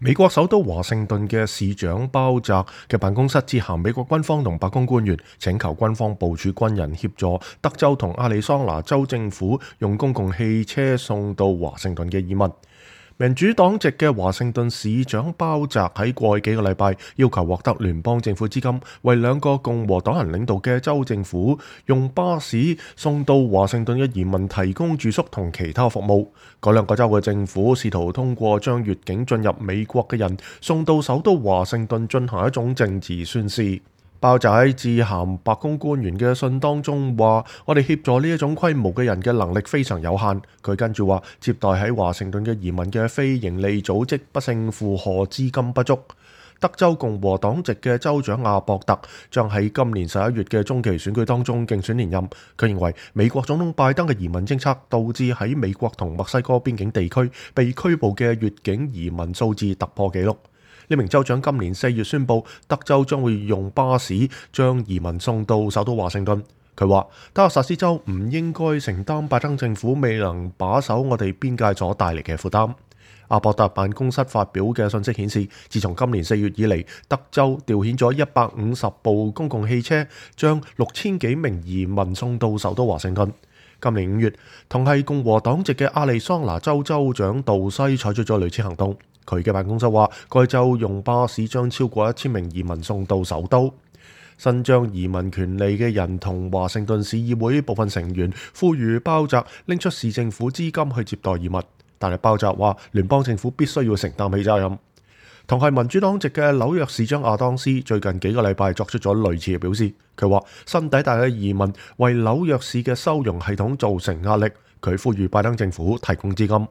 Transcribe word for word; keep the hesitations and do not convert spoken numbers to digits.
美國首都華盛頓嘅市長鮑澤嘅辦公室致函美國軍方同白宮官員，請求軍方部署軍人協助德州同亞利桑那州政府用公共汽車送到華盛頓嘅移民。民主黨籍嘅華盛頓市長鮑澤喺過去幾個禮拜要求獲得聯邦政府資金，為兩個共和黨人領導嘅州政府用巴士送到華盛頓嘅移民提供住宿同其他服務。嗰兩個州嘅政府試圖通過將越境進入美國嘅人送到首都華盛頓進行一種政治宣示。鮑澤喺致函白宮官員嘅信當中話：我哋協助呢一種規模嘅人嘅能力非常有限。佢跟住話，接待喺華盛頓嘅移民嘅非營利組織不勝負荷，資金不足。德州共和黨籍嘅州長阿博特將喺今年十一月嘅中期選舉當中競選連任。佢認為美國總統拜登嘅移民政策導致喺美國同墨西哥邊境地區被拘捕嘅越境移民數字突破紀錄。呢名州長今年四月宣布，德州將會用巴士將移民送到首都華盛頓。佢話德克薩斯州唔應該承擔拜登政府未能把守我哋邊界所帶嚟嘅負擔。阿博特辦公室發表嘅信息顯示，自從今年四月以嚟，德州調遣咗一百五十部公共汽車，將六千幾名移民送到首都華盛頓。今年五月，同係共和黨籍嘅亞利桑那州州長杜西採取咗類似行動。佢嘅辦公室話，該州用巴士將超過一千名移民送到首都。伸張移民權利嘅人同華盛頓市議會部分成員呼籲鮑澤拎出市政府資金去接待移民，但係鮑澤話聯邦政府必須要承擔起責任。同係民主黨籍嘅紐約市長亞當斯最近幾個禮拜作出咗類似嘅表示。佢話新抵達嘅移民為紐約市嘅收容系統造成壓力，佢呼籲拜登政府提供資金。